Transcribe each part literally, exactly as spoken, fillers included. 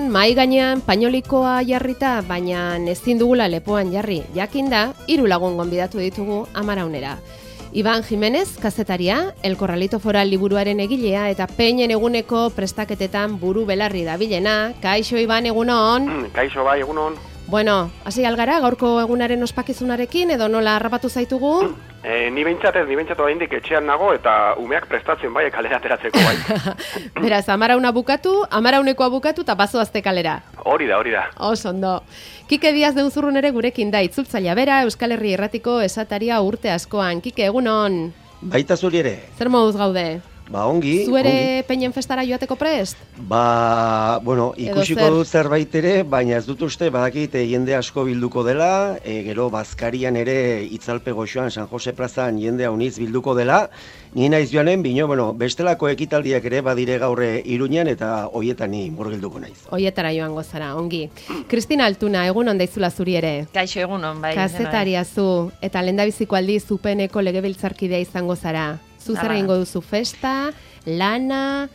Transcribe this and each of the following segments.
egun, mai gainean painolikoa jarrita, baina ezin dugula lepoan jarri. Jakinda, hiru lagun gonbidatu ditugu Amaraunera. Iban Jimenez, kazetaria, El Corralito Foral liburuaren egilea eta peinen eguneko prestaketetan buru belarri dabilena. Kaixo, Iban, egunon? Kaixo, bai, egunon. Bueno, hasi algara, gaurko egunaren ospakizunarekin, edo nola harrapatu zaitugu? E, ni behintzatez, ni behintzatu oraindik etxean nago eta umeak prestatzen bai kalera ateratzeko bai. Beraz, Amarauna bukatu, Amaraunekoa bukatu eta bazoazte kalera. Hori da, hori da. Oso ondo. Kike Diaz de Unzurrun ere gurekin da, itzultzailea bera, Euskal Herri Irratiko esataria urte askoan. Kike, egunon? Baita zuri ere. Zer moduz gaude? Ba, ongi. Zuere peinen festara joateko prest? Ba, bueno, ikusiko zer? dut zerbait ere, baina ez dut uste, badakit jende asko bilduko dela, e, gero Bazkarian ere itzalpe goxoan San Jose plazan jende hauniz bilduko dela, ni naiz joanen, bino, bueno, bestelako ekitaldiak ere badire gaurre Iruñan eta hoietan ni murgilduko naiz. Hoietara joango zara, ongi. Kristina Altuna, egun ondaizula zuri ere. Kaixo egunon, bai. Kazetaria zu, eta lehendabiziko aldiz zupeneko legebiltzarkidea izango zara. Zuzera ingo duzu festa, lana,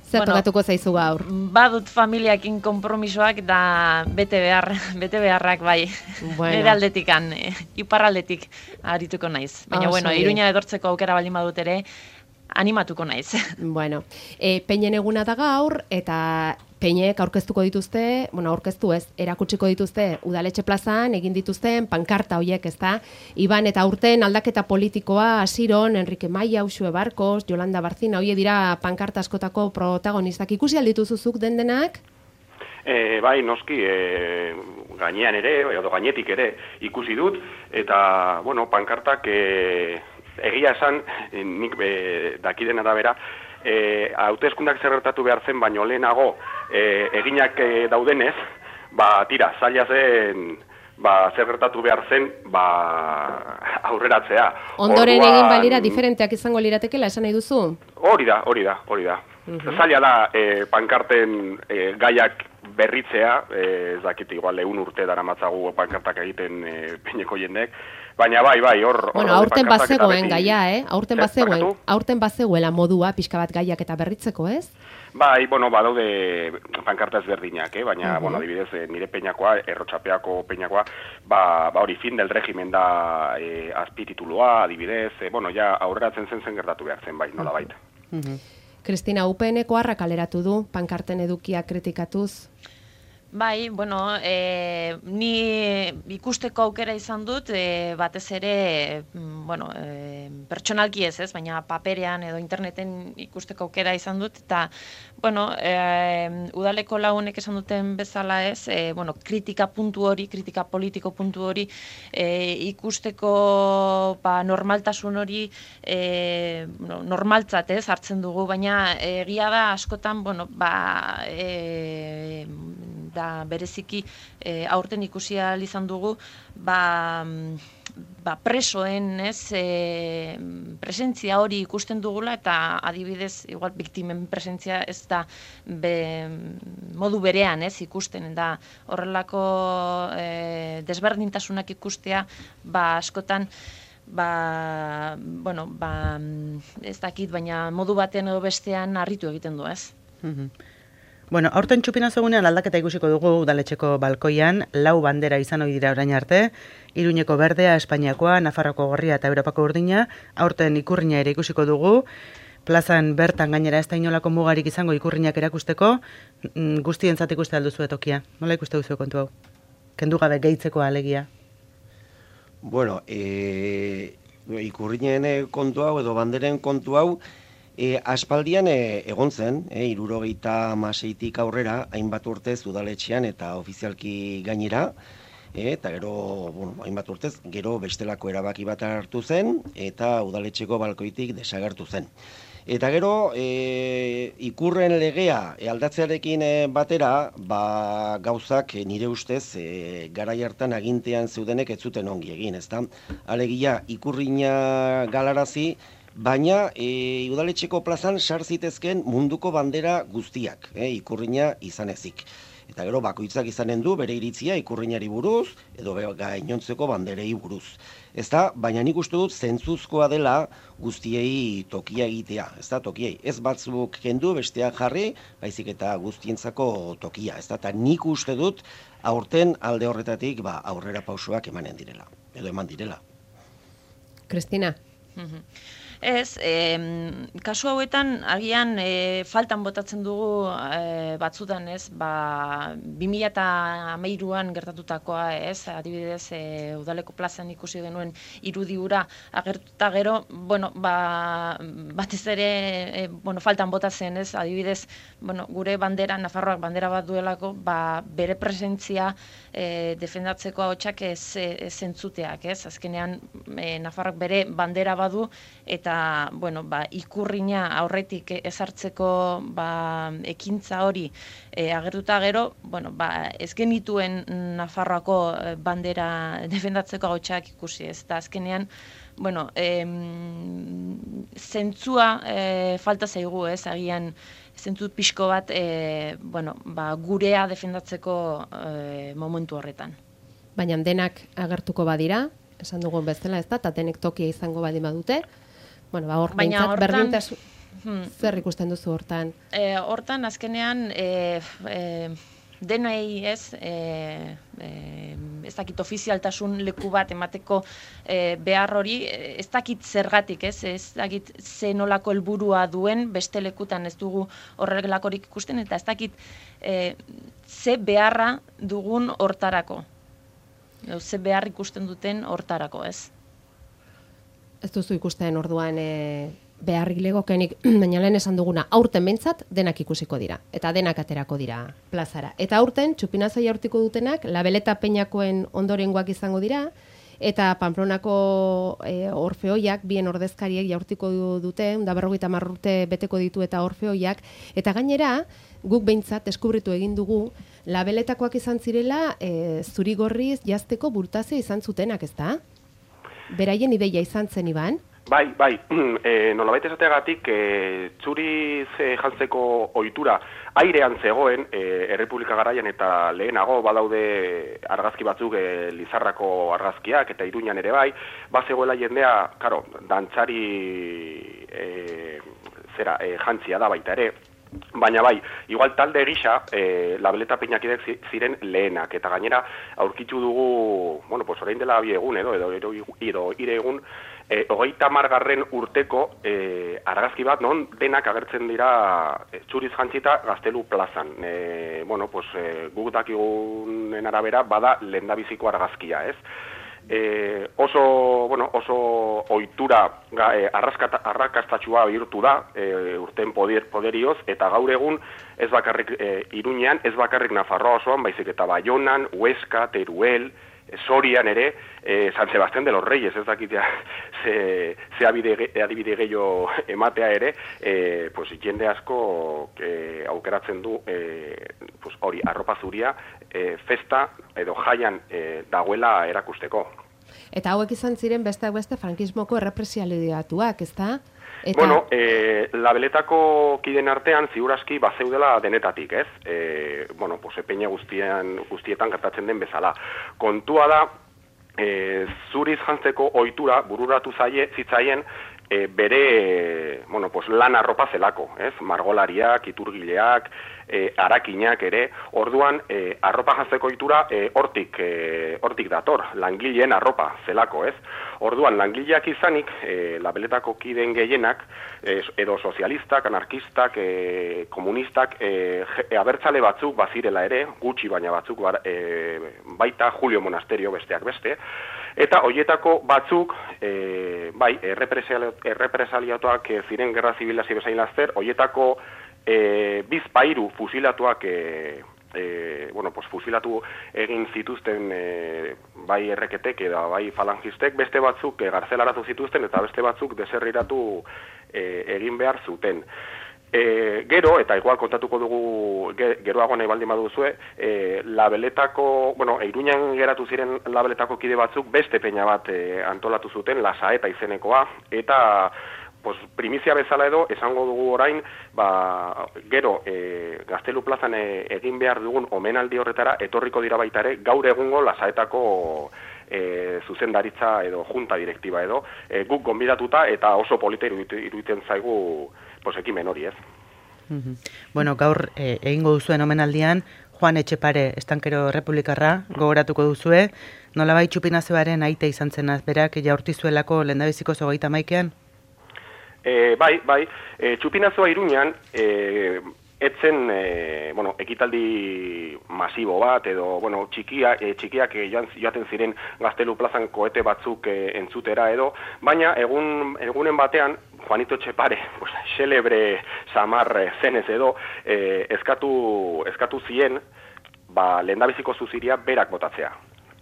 zer bueno, tokatuko zaizu gaur? Badut familiakin konpromisoak da bete behar, bete beharrak bai. Bueno. Nire aldetikan, iparraldetik arituko naiz. Baina, oh, bueno, Iruña edortzeko aukera baldin badut ere, animatuko naiz. Bueno, e, peinen eguna da gaur, eta peinek aurkeztuko dituzte, bueno, aurkeztu ez, erakutsiko dituzte udaletxe plazan, egin dituzten pankarta hoiek, ezta? Iban eta urten aldaketa politikoa, Asiron, Enrique Maia, Uxue Barkos, Yolanda Barzina, hoie dira pankarta askotako protagonistak. Ikusi aldituzuzuk den denak? E, bai, noski, e, gainean ere, edo gainetik ere ikusi dut, eta, bueno, pankartak e, egia esan, nik e, dakiden arabera, E, hauteskundak zerretatu behar zen, baino lehenago e, eginak e, daudenez, ba, tira, zaila zen, ba, zerretatu behar zen, ba, aurreratzea. Ondoren Orduan, egin balira diferenteak izango liratekela, esan nahi duzu? Hori da, hori da, hori da. Uh-huh. Zaila da, e, pankarten e, gaiak berritzea, ez dakit, igual, egun urte dara matzagu pankartak egiten e, peineko jendek, baina bai, bai, hor... Bueno, aurten bazegoen gaia, eh? Aurten bazegoen, aurten bazegoela modua pixka bat gaiak eta berritzeko, ez? Bai, bueno, badaude pankarta ezberdinak, eh? Baina, uh-huh. bueno, adibidez, nire peinakoa, errotxapeako peinakoa, ba, ba hori fin del regimen da e, azpititulua, adibidez, e, bueno, ja aurreratzen zen zen gertatu behar zen, bai, nola baita. Uh-huh. Kristina, U P N-ko harra kaleratu du, pankarten edukia kritikatuz? Bai, bueno, e, ni ikusteko aukera izan dut, e, batez ere, bueno, e, pertsonalki ez ez, baina paperean edo interneten ikusteko aukera izan dut, eta, bueno, e, udaleko lagunek esan duten bezala ez, e, bueno, kritika puntu hori, kritika politiko puntu hori, e, ikusteko ba, normaltasun hori e, no, normaltzat ez, hartzen dugu, baina egia da askotan, bueno, ba, e, da bereziki e, aurten ikusi ahal izan dugu ba, ba presoen ez e, presentzia hori ikusten dugula eta adibidez igual biktimen presentzia ez da be, modu berean ez ikusten da horrelako e, desberdintasunak ikustea ba askotan ba, bueno, ba, ez dakit baina modu batean edo bestean harritu egiten du ez. Mhm. Bueno, aurten txupina zegunean aldaketa ikusiko dugu udaletxeko balkoian, lau bandera izan ohi dira orain arte, Iruñeko berdea, Espainiakoa, Nafarroko gorria eta Europako urdina, aurten ikurrina ere ikusiko dugu, plazan bertan gainera ez da inolako mugarik izango ikurrinak erakusteko, guztientzat ikuste alduzu tokia. Nola ikuste duzu kontu hau? Kendu gabe gehitzeko alegia? Bueno, e, ikurrinen kontu hau edo banderen kontu hau, E, aspaldian e, egon zen, e, irurogeita hamaseitik aurrera, hainbat urtez udaletxean eta ofizialki gainera, e, eta gero, bueno, hainbat urtez, gero bestelako erabaki bat hartu zen, eta udaletxeko balkoitik desagertu zen. Eta gero, e, ikurren legea e, aldatzearekin e, batera, ba, gauzak e, nire ustez e, garai hartan agintean zeudenek ez zuten ongi egin, ezta? Alegia, ikurrina galarazi, baina e, udaletxeko plazan sar zitezken munduko bandera guztiak, e, ikurrina izan ezik. Eta gero bakoitzak izanen du bere iritzia ikurrinari buruz edo gainontzeko banderei buruz. Ez da, baina nik uste dut zentzuzkoa dela guztiei tokia egitea, ez da, tokiei. Ez batzuk kendu besteak jarri, baizik eta guztientzako tokia, ez da, eta nik uste dut aurten alde horretatik ba, aurrera pausoak emanen direla, edo eman direla. Kristina? Ez, e, kasu hauetan agian e, faltan botatzen dugu e, batzutan, ez, ba, bi mila hamairuan gertatutakoa, ez, adibidez, e, Udaleko plazan ikusi genuen irudi hura agertuta gero, bueno, ba, batez ere, e, bueno, faltan botatzen, ez, adibidez, bueno, gure bandera, Nafarroak bandera bat duelako, ba, bere presentzia e, defendatzeko ahotsak ez, ez zentzuteak, ez, azkenean e, Nafarroak bere bandera badu, eta bueno, ba, ikurrina aurretik ezartzeko ba, ekintza hori e, agertuta gero, bueno, ba, ez genituen Nafarroako bandera defendatzeko ahotsak ikusi, ez da azkenean, bueno, em, zentzua e, falta zaigu, ez, agian zentzu pixko bat e, bueno, ba, gurea defendatzeko e, momentu horretan. Baina denak agertuko badira, esan dugun bezala, ez da, eta denek tokia izango badin badute. Bueno, ba, hor, baina hortan, berdintasun, hmm, zer ikusten duzu hortan? E, hortan, azkenean, e, e, denoi ez, e, e, ez dakit ofizialtasun leku bat emateko e, behar hori, ez dakit zergatik, ez, ez dakit ze nolako helburua duen, beste lekutan ez dugu horrelakorik ikusten, eta ez dakit e, ze beharra dugun hortarako, ze behar ikusten duten hortarako, ez. Ez duzu ikusten orduan e, beharrik legokenik, baina lehen esan duguna, aurten behintzat denak ikusiko dira, eta denak aterako dira plazara. Eta aurten, txupinazo jaurtiko dutenak, Labeleta Peñakoen ondorengoak izango dira, eta Pamplonako e, orfeoiak, bien ordezkariek jaurtiko dute, da berrogeita hamar urte beteko ditu eta orfeoiak, eta gainera, guk behintzat deskubritu egin dugu, Labeletakoak izan zirela, e, zurigorriz jazteko burtazio izan zutenak, ez da? Beraien ideia izan zen, Iban? Bai, bai, e, nolabait esateagatik, e, txuriz e, jantzeko ohitura airean zegoen, e, Errepublika garaian eta lehenago badaude argazki batzuk e, Lizarrako argazkiak eta Iruñan ere bai, bazegoela jendea, karo, dantzari e, zera, e, jantzia da baita ere, baina bai, igual talde gisa, e, Labeleta Peñakidek ziren lehenak, eta gainera aurkitu dugu, bueno, pues orain dela bi egun edo, edo, edo, edo ire egun, e, hogeita hamargarren urteko e, argazki bat, non denak agertzen dira e, txuriz jantzita Gaztelu plazan. E, bueno, pues e, guk dakigunen arabera bada lehendabiziko argazkia, ez? E, oso, bueno, oso ohitura e, arrakastatxua bihurtu da e, urten poder, poderioz, eta gaur egun ez bakarrik e, Iruñean, ez bakarrik Nafarroa osoan, baizik eta Baionan, Huesca, Teruel, e, Sorian ere, e, San Sebastián de los Reyes, ez dakitea ze, ze adibide gehiago ematea ere, e, pues, jende asko e, aukeratzen du e, pues, hori, arropa zuria, E, festa edo jaian e, dagoela erakusteko. Eta hauek izan ziren besteak beste frankismoko errepresialiatuak, ez da? Eta... Bueno, e, Labeletako kiden artean ziurazki bazeudela denetatik, ez? E, bueno, pues, epeina guztien, guztietan gertatzen den bezala. Kontua da, e, zuriz jantzeko ohitura bururatu zaie, zitzaien, E, bere, bueno, pues, lan arropa zelako, ez? Margolariak, iturgileak, e, arakinak ere, orduan e, arropa jantzeko ohitura e, hortik, e, hortik dator, langileen arropa zelako, ez? Orduan, langileak izanik, e, Labeletako kideen gehienak, e, edo sozialistak, anarkistak, e, komunistak, e, e, abertzale batzuk bazirela ere, gutxi baina batzuk bar, e, baita Julio Monasterio besteak beste, eta hoietako batzuk, e, bai, errepresaliatuak e, ziren gerra zibila zibezain laster, hoietako e, bizpairu fusilatuak, e, e, bueno, pues, fusilatu egin zituzten e, bai erreketek edo bai falangistek, beste batzuk e, garzelaratu zituzten eta beste batzuk deserriratu e, egin behar zuten. E, gero, eta igual kontatuko dugu geroago nahi baldin baduzue, e, Labeletako, bueno, Iruñan geratu ziren Labeletako kide batzuk beste peña bat e, antolatu zuten, Lasaeta izenekoa, eta pues, primizia bezala edo, esango dugu orain, ba, gero, e, Gaztelu plazan e, egin behar dugun omenaldi horretara, etorriko dira baita ere, gaur egungo Lasaetako e, zuzendaritza edo junta direktiba edo, e, guk gonbidatuta eta oso polita iruditzen zaigu pues, ekimen hori ez. Mm-hmm. Bueno, gaur e, egingo duzuen omenaldian, Juan Etxepare, estankero republikarra, gogoratuko duzue, nolabait Txupinazoaren aita izan zenaz, berak jaurtizuelako lehendabiziko zogeita maikean? E, bai, bai, e, Txupinazoa Iruñan, e, etzen, e, bueno, ekitaldi masibo bat, edo, bueno, txikia, e, txikiak e, joaten ziren Gaztelu plazan koete batzuk e, entzutera edo, baina egun, egunen batean, Juanito Etxepare, pues, xelebre samar zenez edo, eh, eskatu, eskatu zien, ba, lehendabiziko zuziria berak botatzea.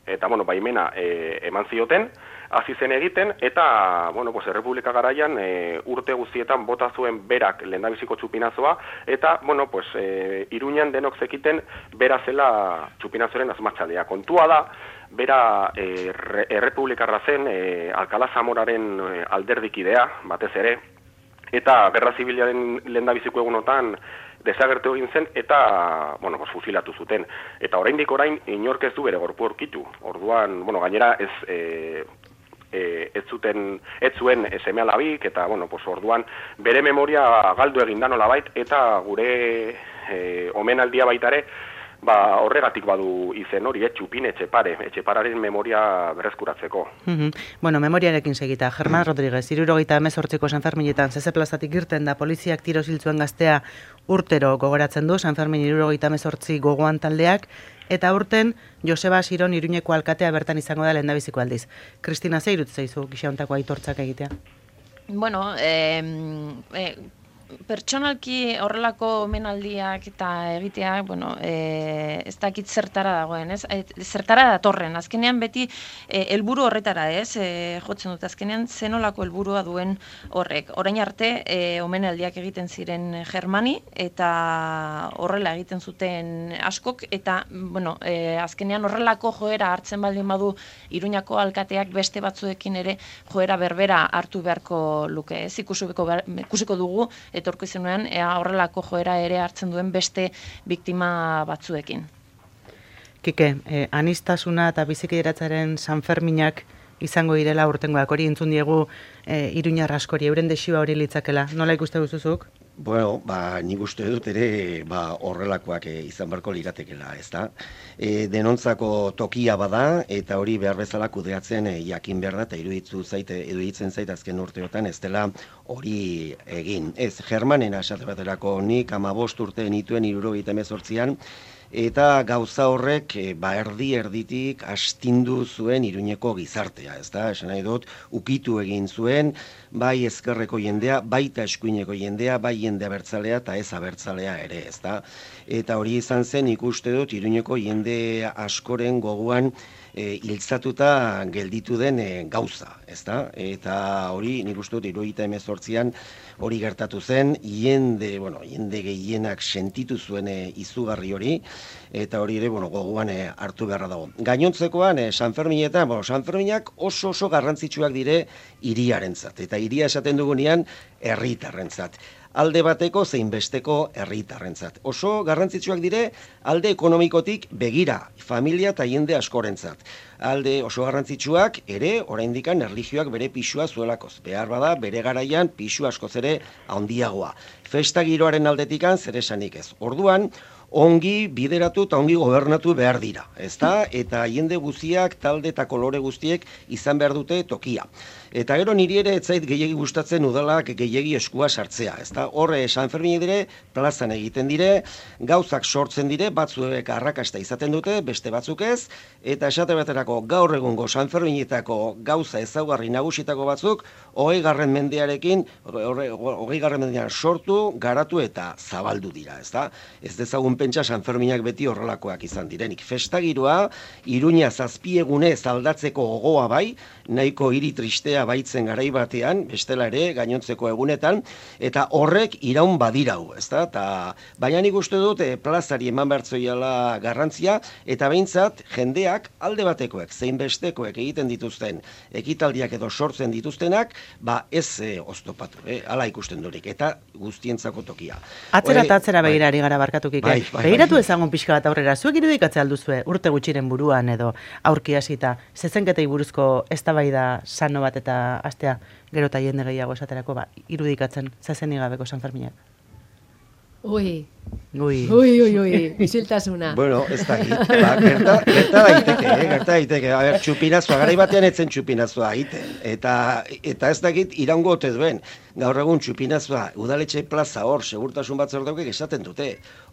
Eta, bueno, baimena eh, eman zioten, hasi zen egiten, eta, bueno, pues, Errepublika garaian eh, urte guztietan bota zuen berak lehendabiziko Txupinazoa, eta, bueno, pues, eh, Iruñan denok zekiten bera zela Txupinazoren azmatxalea. Kontua da, bera e, errepublikarra zen, e, Alkala Zamoraren e, alderdikidea, batez ere, eta Gerra Zibilaren lehendabiziko egunotan desagertu egin zen, eta, bueno, pues, fusilatu zuten. Eta oraindik orain, inork ez du bere gorpu aurkitu. Orduan, bueno, gainera ez... E, E, ez zuten, ez zuen seme alabik, eta, bueno, pues, orduan bere memoria galdu egin da nolabait, eta gure e, omenaldia baitare, ba, horregatik badu izen hori, eh, Txupin Etxepare, Etxepararen memoria berreskuratzeko. Mm-hmm. Bueno, memoriarekin segita, Germán Rodríguez, hirurogeita hemezortziko San Ferminetan zeze plazatik irten da poliziak tiro ziltzuen gaztea urtero gogoratzen du, San Fermin hirurogeita hemezortzi gogoan taldeak, eta urten Joseba Siron Iruñeko alkatea bertan izango da lehendabiziko aldiz. Kristina, ze irut zaizu gixauntako aitortzak egitea? Bueno, eh, eh, pertsonalki horrelako omenaldiak eta egiteak, bueno, e, ez dakit zertara dagoen, ez? E, zertara datorren, azkenean beti helburu e, horretara, ez? E, jotzen dut, azkenean zenolako helburua duen horrek. Orain arte, e, omenaldiak egiten ziren Germani, eta horrela egiten zuten askok, eta, bueno, e, azkenean horrelako joera hartzen baldin badu Iruñako alkateak beste batzuekin ere joera berbera hartu beharko luke, ez? Ikusiko, ikusiko dugu, etorko izenuean, ea horrelako joera ere hartzen duen beste biktima batzuekin. Kike, eh, anistasuna eta bizikideratzaren San Ferminak izango direla urtengoak, hori entzun diegu eh, Iruñar askori, euren desiba hori litzakela. Nola ikuste duzuzuk? Bueno, ba, nik uste dut ere ba, horrelakoak e, izan barko liratekela, ez da? E, denontzako tokia bada, eta hori behar bezala kudeatzen e, jakin behar da, eta iruditzu zaite, iruditzen zait azken urteotan, ez dela hori egin. Ez, Germanen asate baterako nik amabost urte nituen hirurogeita hemezortzian, eta gauza horrek e, ba, erdi erditik astindu zuen Iruñeko gizartea, ez da? Esan nahi dut, ukitu egin zuen, bai ezkerreko jendea, baita eskuineko jendea, bai jende abertzalea eta ez abertzalea ere, ez da? Eta hori izan zen ikuste dut Iruñeko jende askoren goguan e, hiltzatuta gelditu den e, gauza, ez da? Eta hori nik uste dut hirurogeita hemezortzian hori gertatu zen, jende, bueno, jende gehienak sentitu zuen e, izugarri hori, eta hori ere, bueno, goguan e, hartu beharra dago. Gainontzekoan, e, San Ferminetan, bueno, San Ferminak oso oso garrantzitsuak dire hiriarentzat, eta hiria esaten dugunean herritarrentzat. Alde bateko zein besteko herritarrentzat. Oso garrantzitsuak dire alde ekonomikotik begira, familia eta jende askorentzat. Alde oso garrantzitsuak ere oraindikan erlijioak bere pisua zuelakoz. Behar bada bere garaian pisu askoz ere handiagoa. Festa giroaren aldetikan zer esanik ez. Orduan, ongi bideratu eta ongi gobernatu behar dira, ezta? Eta jende guztiak, talde eta kolore guztiek izan behar dute tokia. Eta gero niri ere ez zait gehiegi gustatzen udalak gehiegi eskua sartzea, ezta? Horre San Fermin dire, plazan egiten dire, gauzak sortzen dire, batzuek arrakasta izaten dute, beste batzuk ez, eta esate baterako gaur egungo San Ferminetako gauza ezaugarri nagusitako batzuk, hogei garren mendearekin, hogei garren mendean sortu, garatu eta zabaldu dira, ezta? Ez dezagun pentsa San Ferminak beti horrelakoak izan direnik. Festagiroa, Iruña zazpiegunez aldatzeko gogoa bai, nahiko hiri tristea jendea baitzen garai batean, bestela ere, gainontzeko egunetan, eta horrek iraun badirau, ezta? Ta, baina nik uste dut e, plazari eman bertzoiala garrantzia, eta behintzat jendeak alde batekoek, zein bestekoek egiten dituzten, ekitaldiak edo sortzen dituztenak, ba ez e, oztopatu, eh? Hala ikusten durik, eta guztientzako tokia. Atzera eta atzera begirari gara barkatukik. Bai, bai, Begiratu bai. ezagun pixka bat aurrera, zuek irudikatze alduzue urte gutxiren buruan edo aurki hasita, zezenketei buruzko eztabaida sano bat eta astea gero eta jende gehiago esaterako, ba, irudikatzen zezenik gabeko San Ferminak. Ui, Ui. ui, ui, ui, isiltasuna. Bueno, ez da, ba, gerta, gerta daiteke, eh? gerta daiteke. A ber, txupinazua, garai batean etzen txupinazua egiten. Eta, eta ez dakit iraungo ote duen. Gaur egun txupinazua, udaletxe plaza hor, segurtasun batzordeak esaten dute.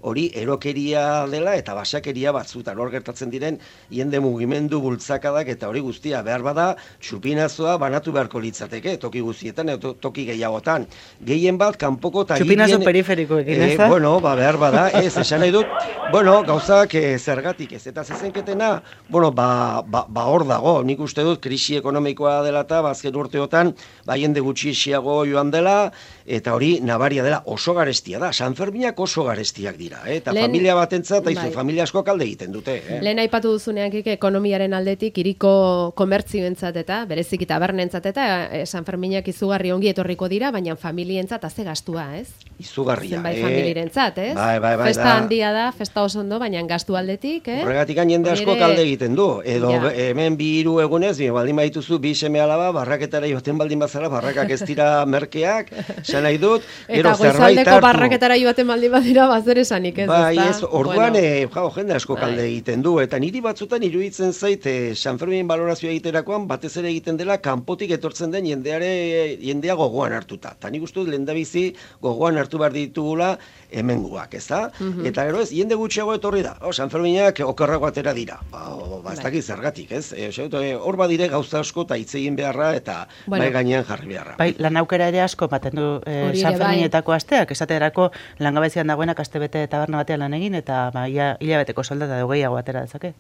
Hori erokeria dela eta basakeria batzutan hor gertatzen diren jende mugimendu bultzakadak eta hori guztia behar bada txupinazua banatu beharko litzateke toki guztietan edo toki gehiagotan. Gehien bat kanpoko eta Txupinazo periferikoekin, ez da? Bueno, ba, behar bada, ez, esan nahi dut, bueno, gauzak e, zergatik ez, eta zezenketena, bueno, ba, ba, ba hor dago, nik uste dut, krisi ekonomikoa dela eta, bazken urteotan, ba, jende gutxixiago joan dela, eta hori nabaria dela, oso garestia da, San Ferminak oso garestiak dira, eh? Eta Lehen, familia batentzat, eta bai. familia asko kalde egiten dute. Eh? Lehen aipatu duzunean kike ekonomiaren aldetik iriko komertzioentzat eta berezik tabernentzat eta eh, San Ferminak izugarri ongi etorriko dira, baina familientzat haze gastua, ez? Izugarria, Zenbait eh? familirentzat, ez? Bai, bai, bai, festa da. handia da, festa oso ondo, baina gastu aldetik, eh? Horregatik jende asko Hori ere- kalde egiten du. Edo Ja. hemen bi hiru egunez, bi, baldin badituzu bi seme alaba, barraketara joaten baldin bazara, barrakak ez dira merkeak, esan nahi dut, gero Eta zerbait goizaldeko hartu. barraketara joaten baldin badira, bazer esanik, ez? Bai, ezta? ez, orduan, Bueno, eh, jau, jende asko Bai. kalde egiten du, eta niri batzutan iruditzen zait, eh, San Fermin balorazioa egiterakoan, batez ere egiten dela, kanpotik etortzen den jendeare, jendea gogoan hartuta. Ta nik uste dut lehendabizi gogoan hartu behar ditugula hemenguak, ez da? Eta gero ez, jende gutxiago etorri da, oh, San Ferminak okerrago atera dira. Ba, o, ba ez Bai. dakit zergatik, ez? E, uste dut, eh, hor badire gauza asko eta hitz egin beharra eta Bueno. bai gainean jarri beharra. Bai, lan aukera ere asko baten du eh, Hori San ere, bai. Ferminetako asteak, esaterako langabezian dagoenak astebete taberna batean lan egin eta ba, ia, hilabeteko soldata edo gehiago atera dezake.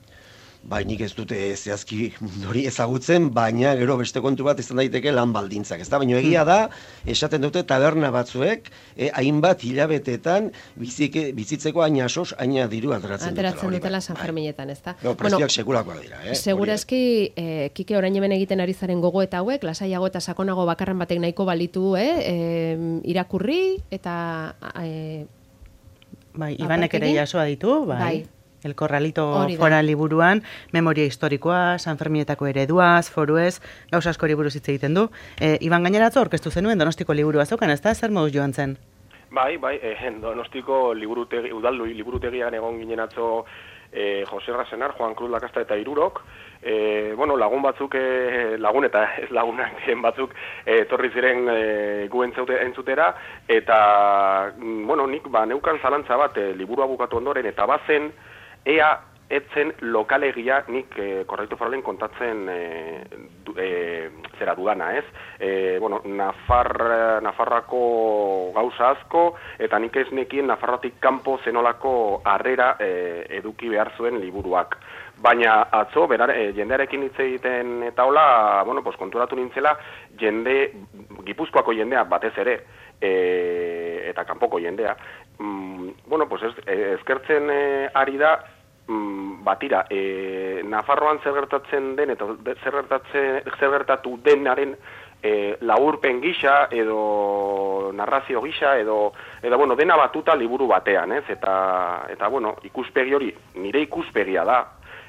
Bai, nik ez dute zehazki hori ezagutzen, baina gero beste kontu bat izan daiteke lan baldintzak. Ez da, baina egia da, esaten dute taberna batzuek, eh, hainbat hilabetetan bizike, bizitzeko aina asos, aina diru ateratzen, ateratzen hori dutela bai. San Ferminetan, ez da? No, prezioak sekulakoak dira, eh? Segurazki, eh, Kike orain hemen egiten ari zaren gogo eta hauek, lasaiago eta sakonago bakarren batek nahiko balitu, eh? eh irakurri eta... Eh, Bai, Ibanek ere Apartekin? jasoa ditu, bai. Bai. El Corralito Hori da. Fora liburuan, memoria historikoa, San Ferminetako ereduaz, foruez, gauza askori buruz hitz egiten du. E, Iban gaineratzo orkestu zenuen Donostiko liburua zeukan, ez da? Zer moduz joan zen? Bai, bai, eh, Donostiko liburutegi, udaldu liburutegian egon ginen atzo eh, Jose Rasenar, Juan Cruz Lakasta eta Irurok, eh, bueno, lagun batzuk, eh, lagun eta ez lagunak diren batzuk eh, etorri ziren eh, gu entzaute, entzutera, eta, mm, bueno, nik ba, neukan zalantza bat eh, liburua bukatu ondoren, eta bazen, ea etzen lokalegia nik eh, korrektu foralen kontatzen eh, du, eh, zera dudana, ez? Eh, bueno, Nafar, Nafarrako gauza asko, eta nik ez nekien Nafarrotik kanpo zenolako harrera eh, eduki behar zuen liburuak. Baina atzo, berar, eh, jendearekin hitz egiten eta hola, bueno, pues, konturatu nintzela, jende, Gipuzkoako jendea batez ere, e, eta kanpoko jendea, mm, bueno, pues ez, eh, eskertzen eh, ari da, mm, batira, e, Nafarroan zer gertatzen den, eta zer, gertatzen, zer gertatu denaren e, laurpen gisa, edo narrazio gisa, edo, edo bueno, dena batuta liburu batean, ez? Eta, eta bueno, ikuspegi hori, nire ikuspegia da,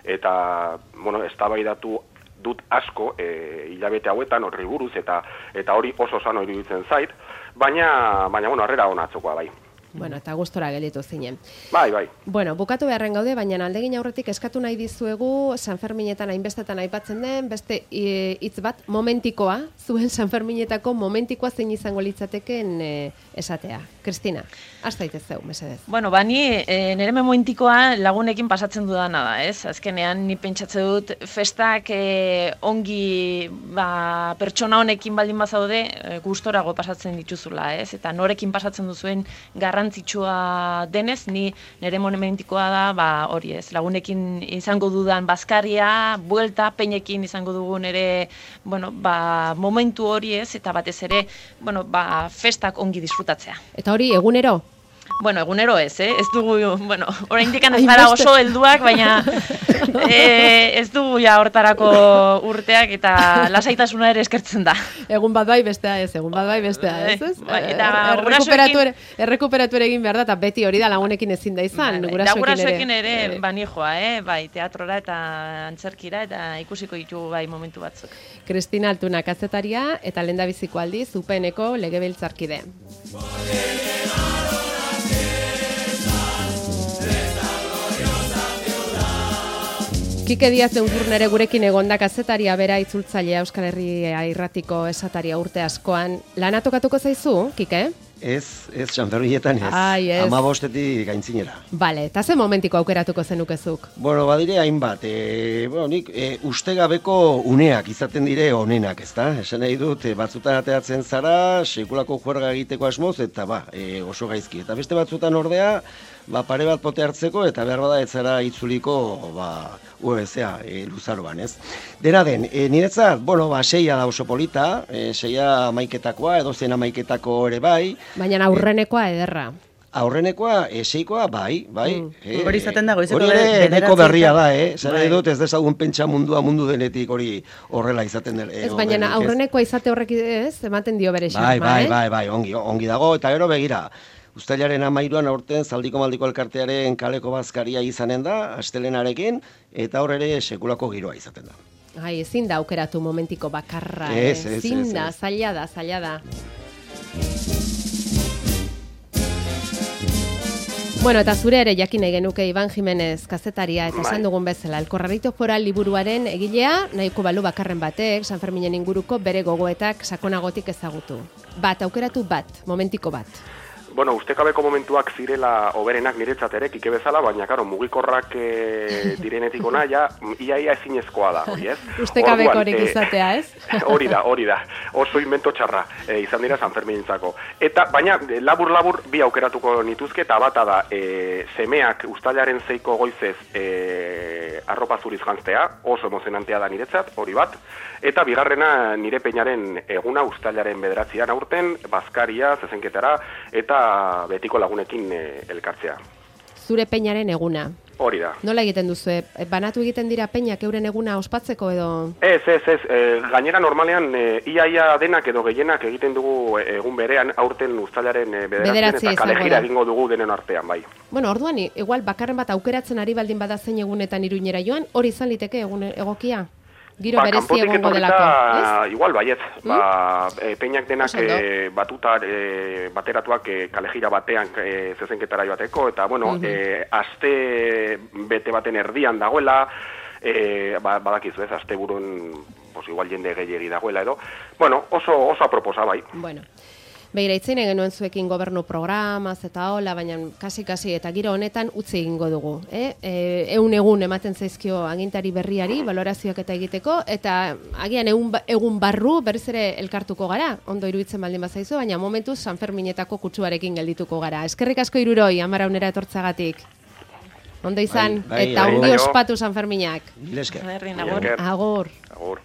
eta, bueno, eztabaidatu dut asko e, hilabete hauetan horri buruz eta eta hori oso sano iruditzen zait, baina baina bueno, harrera ona atzokoa bai. bueno, eta gustora gelditu zinen. Bai, bai. Bueno, bukatu beharren gaude, baina aldegin aurretik eskatu nahi dizuegu San Ferminetan hainbestetan aipatzen den, beste e, hitz bat, momentikoa, zuen San Ferminetako momentikoa zein izango litzateken e, esatea. Kristina, hasta daitez zeu, mesedez. Bueno, ba, ni e, nire memointikoa lagunekin pasatzen dudana da, ez? Azkenean, ni pentsatze dut festak e, ongi ba, pertsona honekin baldin bazaude e, gustorago pasatzen dituzula, ez? Eta norekin pasatzen duzuen garrantzia garrantzitsua denez, ni nire momentikoa da, ba, hori ez, lagunekin izango dudan bazkaria, buelta, peinekin izango dugun ere, bueno, ba, momentu hori ez, eta batez ere, bueno, ba, festak ongi disfrutatzea. Eta hori, egunero? Bueno, egunero ez, eh? Ez dugu, bueno, oraindik ez gara oso helduak, baina eh, ez dugu ja hortarako urteak eta lasaitasuna ere eskertzen da. Egun bat bai bestea ez, egun bat bai bestea ez, ez? Bai, eta errekuperatu ere, errekuperatu ere egin behar da, eta beti hori da lagunekin ezin da izan, bai, gurasoekin ere. Gurasoekin ere, ere bani joa, eh? Bai, teatrora eta antzerkira eta ikusiko ditugu bai momentu batzuk. Kristina Altuna kazetaria eta lehendabiziko aldiz U P N-ko legebiltzarkide. Kike Diaz Eunzurnere gurekin egonda kazetaria bera itzultzailea Euskal Herria Irratiko esataria urte askoan. Lana tokatuko zaizu, Kike? Ez, ez, Sanferminetan ez. Ai, ez. Ama bostetik gaintzinera. Bale, eta ze momentiko aukeratuko zenukezuk? Bueno, badire hainbat. E, bueno, nik e, ustegabeko uneak izaten dire onenak, ezta? Esan nahi dut, e, batzutan ateatzen zara, sekulako juerga egiteko asmoz, eta ba, e, oso gaizki. Eta beste batzutan ordea, ba, pare bat pote hartzeko, eta behar bada ez zara itzuliko, ba, U B C-a e, luzaroan, ez? Dena den, e, niretzat, bueno, ba, seia da oso polita, e, seia amaiketakoa, edo zen amaiketako ere bai. Baina aurrenekoa ederra. Aurrenekoa, eseikoa, bai, bai. Mm. E, Hori izaten dago, izeko hori ere neko berria da, eh? Zara Bai. dut ez dezagun pentsa mundua mundu denetik hori horrela izaten dela. Ez, baina aurrenekoa izate horrek ez, ematen dio bere xarma, Bai, bai, eh? bai, bai, ongi, ongi dago, eta gero begira. Uztailaren amairuan aurten Zaldiko Maldiko Elkartearen kaleko bazkaria izanen da, astelenarekin, eta hor ere sekulako giroa izaten da. Ai, ezin da aukeratu momentiko bakarra, Ez, eh? ez, Ezin ez, da, ez. zaila da, zaila da. Bueno, eta zure ere jakin nahi genuke Iban Jimenez kazetaria eta esan dugun bezala, El Corralito Foral liburuaren egilea, nahiko balu bakarren batek, San Ferminen inguruko bere gogoetak sakonagotik ezagutu. Bat, aukeratu bat, momentiko bat. Bueno, ustekabeko momentuak zirela oberenak niretzat ere, Kike bezala, baina, karo, mugikorrak e, direnetik ona, ja, ia-ia ezinezkoa da, hori ez? Ustekabekorik izatea, ez? Hori da, hori da, oso invento txarra, e, izan dira Sanferminintzako. Eta, baina, labur-labur bi aukeratuko nituzke, eta bata da, e, semeak ustailaren zeiko goizez e, arropa zuriz jantztea, oso emozionantea da niretzat, hori bat, eta bigarrena nire peinaren eguna ustailaren bederatzian aurten, bazkaria, zezenketara, eta betiko lagunekin e, elkartzea. Zure peinaren eguna. Hori da. Nola egiten duzu? Banatu egiten dira peinak euren eguna ospatzeko edo? Ez, ez, ez. E, gainera normalean e, ia-ia denak edo gehienak egiten dugu e, egun berean aurten uztailaren e, bederatzian eta kalejira egingo dugu denen artean, bai. Bueno, orduan, igual bakarren bat aukeratzen ari baldin bada zein egunetan Iruñera joan, hori izan liteke egun egokia? Giro ba, berezi egongo delako, ez? Igual, baiet. Mm? Ba, e, peinak denak e, batuta e, bateratuak e, kalejira batean e, zezenketara joateko, eta, bueno, mm -hmm. e, aste bete baten erdian dagoela, e, ba, badakizu ez, aste burun, pues, igual jende gehiegi dagoela edo. Bueno, oso, oso aproposa, bai. Bueno. Begira, itzen genuen zuekin gobernu programaz eta hola, baina kasi-kasi eta giro honetan utzi egingo dugu. Eh? E, egun egun ematen zaizkio agintari berriari, balorazioak eta egiteko, eta agian egun, egun barru berriz ere elkartuko gara, ondo iruditzen baldin bazaizu, baina momentuz Sanferminetako kutsuarekin geldituko gara. Eskerrik asko Hiruroi, Amaraunera etortzagatik. Ondo izan, Bai, bai, eta bai, ongi bai. ospatu Sanferminak. Mil esker. Herri, Mila agur. esker. Agur. Agur.